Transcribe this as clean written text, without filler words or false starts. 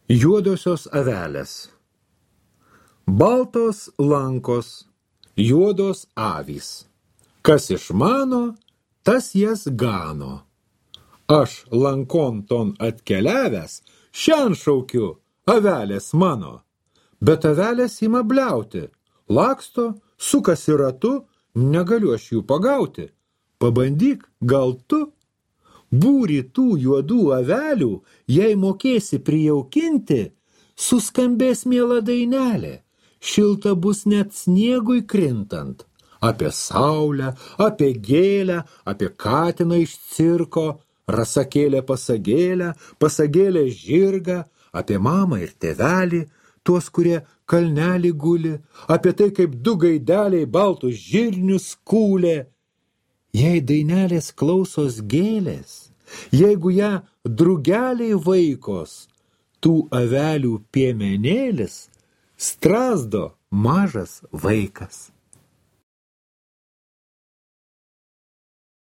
Juodosios avelės. Baltos lankos, juodos avys. Kas išmano, tas jas gano. Aš lankon ton atkeliavęs, šian šaukiu, avelės mano. Bet avelės ima bliauti, laksto, sukasi ratu, negaliu aš jų pagauti. Pabandyk, gal tu? Būrį tų juodų avelių, jei mokėsi prijaukinti, suskambės miela dainelė, šilta bus net sniegui krintant. Apie saulę, apie gėlę, apie katiną iš cirko, rasakėlę pasagėlę, pasagėlę žirgą, apie mamą ir tėvelį, tuos, kurie kalnelį guli, apie tai, kaip du gaideliai baltus žirnius kūlė. Jei dainelės klausos gėlės, jeigu ją drugeliai vaikos, tų avelių piemenėlis strazdo mažas vaikas.